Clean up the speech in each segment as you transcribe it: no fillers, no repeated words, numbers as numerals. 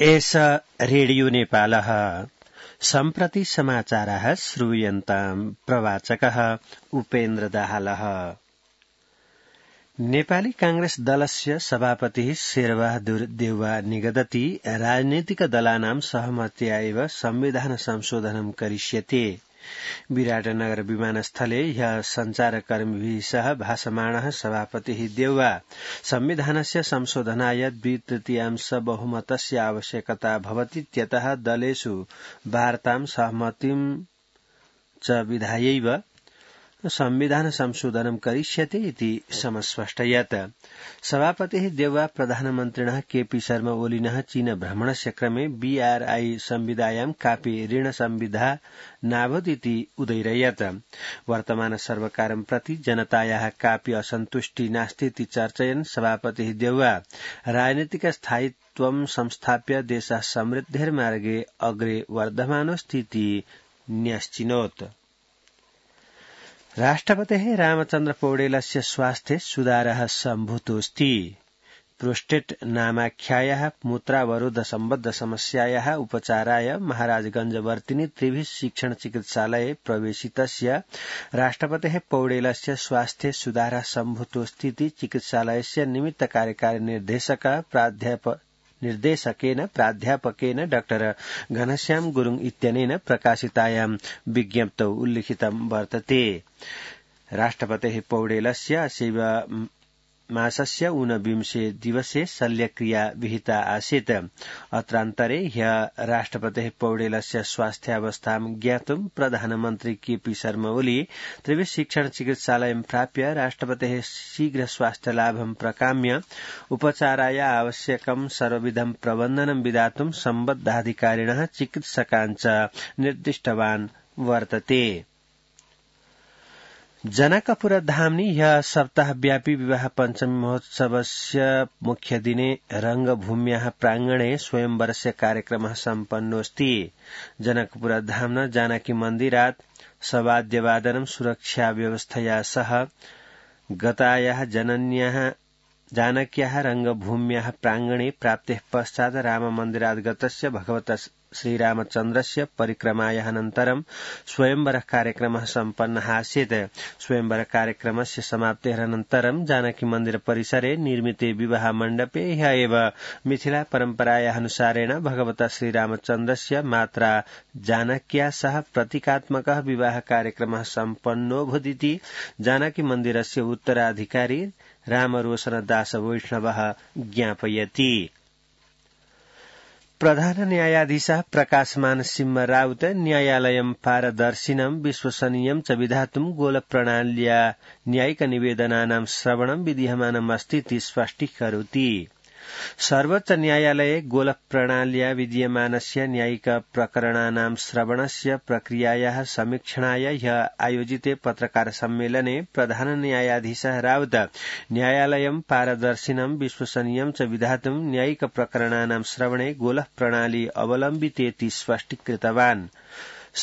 एष रेडियो नेपालः सम्प्रति समाचारः श्रूयन्ताम् प्रवाचकः उपेन्द्र दाहालः। नेपाली कांग्रेस दलस्य सभापतिः शेरबहादुर देउवा निगदति राजनीतिकदलानां सहमत्या एव संविधान संशोधनं करिष्यते। विराटनगर विमानस्थले ह्यः सञ्चारकर्मिभिः सह भाषमाणः सभापतिः देउवा संविधानस्य संशोधनाय 2/3 बहुमतस्य आवश्यकता भवतीत्यतः दलेषु वार्तां सहमतिं च विधायैव संविधान संशोधनं करिष्यते इति समस्पष्टयत्। सभापतिः देउवा प्रधानमन्त्रिणः केपी शर्मा ओलिनः चीन भ्रमणस्य क्रमे बीआरआई संविदायां कापि ऋण संविधा नाभूदिति उदैरयत्। वर्तमान सर्वकारं प्रति जनतायाः कापि असन्तुष्टि नास्तीति चर्चयन् सभापतिः देउवा राजनीतिक स्थायित्वं संस्थाप्य देशः समृद्धिर्मार्गे अग्रे वर्धमानोऽस्तीति न्यश्चिनोत्। राष्ट्रपतेः रामचन्द्र पौडेलस्य स्वास्थ्ये सुधारः सम्भूतोऽस्ति। प्रोस्टेट नामाख्यायाः मूत्रावरोध सम्बद्ध समस्यायाः उपचाराय महाराजगंजवर्तिनि त्रिभिः शिक्षण चिकित्सालये प्रवेशितस्य राष्ट्रपतेः पौडेलस्य स्वास्थ्ये सुधारः सम्भूतोऽस्तीति चिकित्सालयस्य निमित्त कार्यकारी प्राध्यापकेन डाक्टर घनश्याम गुरुङ इत्यनेन प्रकाशितायां विज्ञप्तौ उल्लिखितं वर्तते। राष्ट्रपतेः पौडेलस्य अस्यैव मासस्य 29 दिवसे शल्यक्रिया विहिता आसीत्। अत्रान्तरे ह्यः राष्ट्रपतेः पौडेलस्य स्वास्थ्यावस्थां ज्ञातुं प्रधानमन्त्री केपी शर्मा ओली त्रिभिः शिक्षण चिकित्सालयं प्राप्य राष्ट्रपतेः शीघ्र स्वास्थ्यलाभं प्रकाम्य उपचाराय आवश्यकं सर्वविधं प्रबन्धनं विधातुं सम्बद्धाधिकारिणः चिकित्सकान् च निर्दिष्टवान् वर्तते। जनकपुरधाम्नि ह्यः सप्ताहव्यापी विवाह पञ्चमी महोत्सवस्य मुख्य दिने रंगभूम्याः प्रांगणे स्वयंवरस्य कार्यक्रमः सम्पन्नोऽस्ति। जनकपुरधाम्ना जानकी मन्दिरात् सवाद्यवादनं सुरक्षाव्यवस्थया सह गतायाः जानक्याः रंगभूम्याः प्रांगणे प्राप्तेः पश्चात् राममन्दिरात् गतस्य भगवतः श्रीरामचन्द्रस्य परिक्रमायाः अनन्तरं स्वयंवर कार्यक्रमः सम्पन्नः आसीत्। स्वयंवर कार्यक्रमस्य समाप्तेः अनन्तरं जानकी मन्दिर परिसरे निर्मिते विवाह मण्डपे ह्यः एव मिथिला परम्परायाः अनुसारेण भगवतः श्रीरामचन्द्रस्य मात्रा जानक्या सह प्रतीकात्मकः विवाह कार्यक्रमः सम्पन्नोऽभूदिति जानकी मन्दिरस्य उत्तराधिकारी रामरोशन दास वैष्णवः ज्ञापयति। प्रधान न्यायाधीशः प्रकाशमान सिंह राउत न्यायालयं पारदर्शिनं विश्वसनीयं च विधातुं गोलप्रणाल्या न्यायिकनिवेदनानां श्रवणं विधीयमानमस्तीति स्पष्टीकरोति। सर्वोच्च न्यायालये गोलप्रणाल्या विधीयमानस्य न्यायिक प्रकरणानां श्रवणस्य प्रक्रियायाः समीक्षणाय ह्यः आयोजिते पत्रकार सम्मेलने प्रधान न्यायाधीशः राउत न्यायालयं पारदर्शिनं विश्वसनीयं च विधातुं न्यायिक प्रकरणानां श्रवणे गोलप्रणाली अवलम्बितेति स्पष्टीकृतवान्।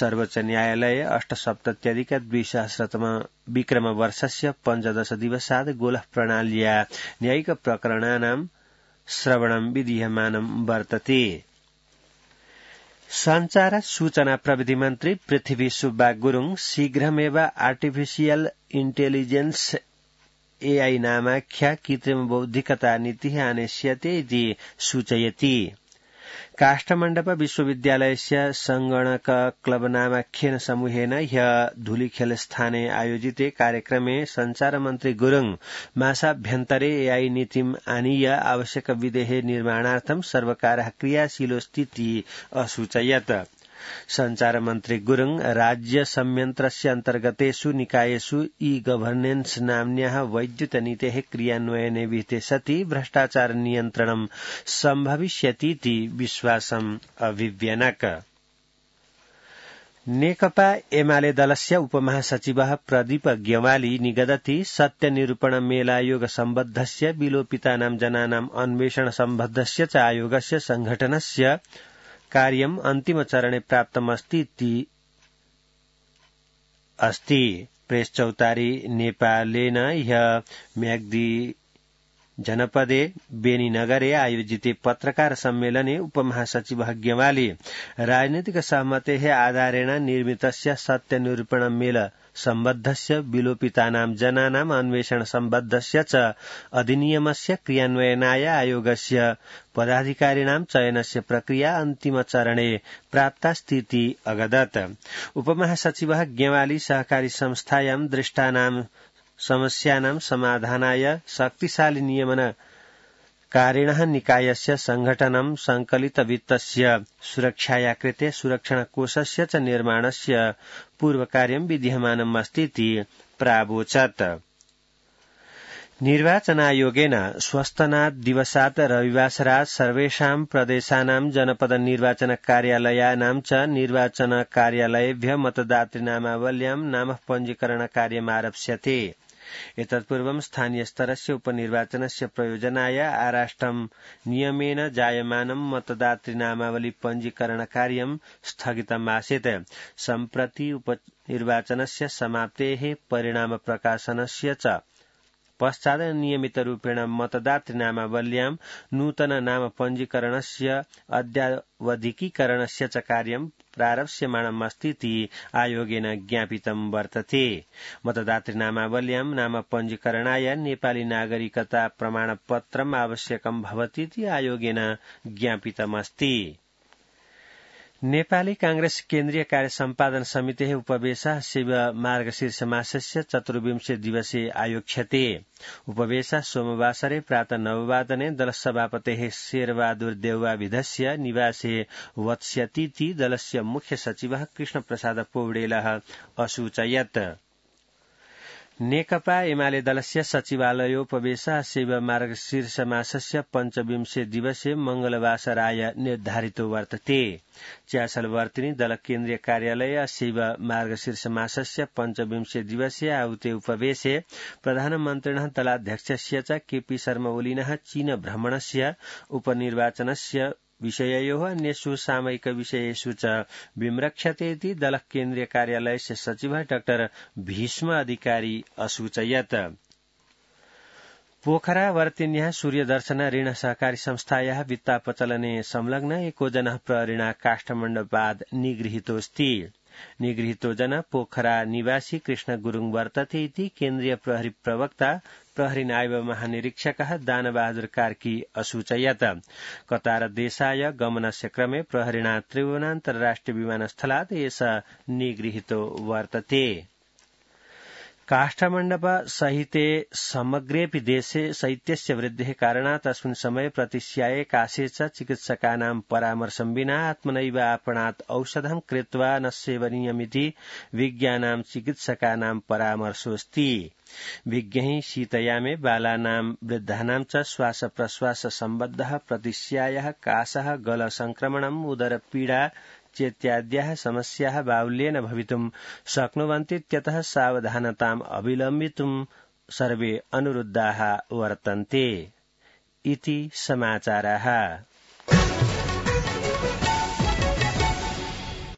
सर्वोच्च न्यायालये 8सप्तत्यधिक-2000 विक्रमवर्षस्य 15 दिवसात् गोलप्रणाल्या न्यायिक प्रकरणानां श्रवणं विधीयमानं वर्तते। संचार सूचना प्रविधि मन्त्री पृथ्वी सुब्बा गुरुङ शीघ्रमेव आर्टिफिशियल इन्टेलिजेन्स एआई नामाख्या कृत्रिम बौद्धिकता नीतिः आनेष्यते इति सूचयति। काष्ठमण्डप विश्वविद्यालयस्य संगणक क्लब नामाख्येन समूहेन ह्यः धूलिखेलस्थाने आयोजिते कार्यक्रमे संचार मन्त्री गुरुङ मासाभ्यन्तरे एआई नीतिम् आनीय आवश्यक विधेः निर्माणार्थं सर्वकारः क्रियाशीलोऽस्तीति असूचयत्। संचार मन्त्री गुरुङ राज्य संयन्त्रस्य अन्तर्गतेषु निकायेषु ई गभर्नेन्स नाम्न्याः वैद्युत नीतेः क्रियान्वयने विहिते सति भ्रष्टाचार नियन्त्रणं सम्भविष्यतीति विश्वासम् अभिव्यनक। नेकपा एमाले दलस्य उपमहासचिवः प्रदीप ग्यवाली निगदति सत्यनिरूपण मेलायोग सम्बद्धस्य विलोपितानां जनानां अन्वेषण सम्बद्धस्य च आयोगस्य संघटनस्य कार्यम् अन्तिमचरणे प्राप्तमस्तीति अस्ति। प्रेस चौतारी नेपालेन ह्यः म्याग्दी जनपदे बेनीनगरे आयोजिते पत्रकार सम्मेलने उपमहासचिवः गेवाली राजनीतिक सहमतेः आधारेण निर्मितस्य सत्यनिरूपणमेल सम्बद्धस्य विलोपितानां जनानाम् अन्वेषण सम्बद्धस्य च अधिनियमस्य क्रियान्वयनाय आयोगस्य पदाधिकारिणां चयनस्य प्रक्रिया अन्तिमचरणे प्राप्तास्तीति अगदत्। उपमहासचिवः गेवाली सहकारी संस्थायां दृष्टानां समस्यानां समाधानाय शक्तिशाली नियमनकारिणः निकायस्य संघटनं संकलितवित्तस्य सुरक्षाया कृते सुरक्षणकोषस्य च निर्माणस्य पूर्वकार्यं विद्यमानम् अस्तीति प्रावोचत्। निर्वाचनायोगेन स्वस्तनात् दिवसात् रविवासरात् सर्वेषां प्रदेशानां जनपद निर्वाचन कार्यालयानां च निर्वाचन कार्यालयेभ्यः मतदातृनामावल्यां नाम पञ्जीकरण कार्यमारप्स्यते। एतत्पूर्वं स्थानीयस्तरस्य उपनिर्वाचनस्य प्रयोजनाय आराष्ट्रं नियमेन जायमानं मतदातृनामावली पञ्जीकरण कार्यं स्थगितमासीत्। सम्प्रति उपनिर्वाचनस्य समाप्तेः परिणाम प्रकाशनस्य च पश्चात् नियमितरूपेण मतदातृनामावल्यां नूतन नाम पञ्जीकरणस्य अद्यावधिकीकरणस्य च कार्यं प्रारप्स्यमाणम् अस्तीति आयोगेन ज्ञापितं वर्तते। मतदातृनामावल्यां नाम पञ्जीकरणाय नेपाली नागरिकता प्रमाणपत्रम् आवश्यकं भवतीति आयोगेन ज्ञापितमस्ति। नेपाली कांग्रेस केन्द्रीय कार्य सम्पादन समितेः उपवेशः शिव मार्गशीर्ष मासस्य 24 दिवसे आयोक्ष्यते। उपवेशः सोमवासरे प्रातः 9 वादने दलसभापतेः शेरबहादुर देउवाविधस्य निवासे वत्स्यतीति दलस्य मुख्य सचिवः कृष्णप्रसाद पौडेलः असूचयत्। नेकपा एमाले दलस्य सचिवालयोपवेशः शिव मार्गशीर्ष मासस्य 25 दिवसे मंगलवासराय निर्धारितो वर्तते। च्यासलवर्तिनी दल केन्द्रीय कार्यालय शिव मार्गशीर्ष मासस्य 25 दिवसे आहुते उपवेशे प्रधानमन्त्रिणः दलाध्यक्षस्य च केपी शर्मा ओलिनः चीन भ्रमणस्य उपनिर्वाचनस्य विषययोः अन्येषु सामयिक विषयेषु च विम्रक्ष्यते इति दल केन्द्रीय कार्यालयस्य सचिवः डाक्टर भीष्म अधिकारी असूचयत्। पोखरावर्तिन्याः सूर्यदर्शन ऋण सहकारी संस्थायाः वित्तापचलने संलग्न एको जनः प्रहरिणा काष्ठमण्डपाद् निगृहीतोऽस्ति। निगृहीतो जन पोखरा निवासी कृष्ण गुरुङ वर्तते इति केन्द्रीय प्रहरी प्रवक्ता प्रहरी नायब महानिरीक्षकः दानबहादुर कार्की असूचयत्। कतार देशाय गमनस्य क्रमे प्रहरिणा त्रिभुवन अन्तर्राष्ट्रिय विमानस्थलात् एषः निगृहीतो वर्तते। काष्ठमण्डप सहिते समग्रेऽपि देशे शैत्यस्य वृद्धेः कारणात् अस्मिन् समये प्रतिस्याये काशे च चिकित्सकानां परामर्शं विना आत्मनैव आपणात् औषधं कृत्वा न सेवनीयमिति विज्ञानां चिकित्सकानां परामर्शोऽस्ति। विज्ञैः शीतयामे बालानां वृद्धानां च श्वास प्रश्वास सम्बद्धः प्रतिस्यायः काशः गल संक्रमणम् उदरपीडा चेत्याद्याः समस्याः बाहुल्येन भवितुं शक्नुवन्तीत्यतः सावधानताम् अवलम्बितुं सर्वे अनुरुद्धाः वर्तन्ते इति समाचाराः।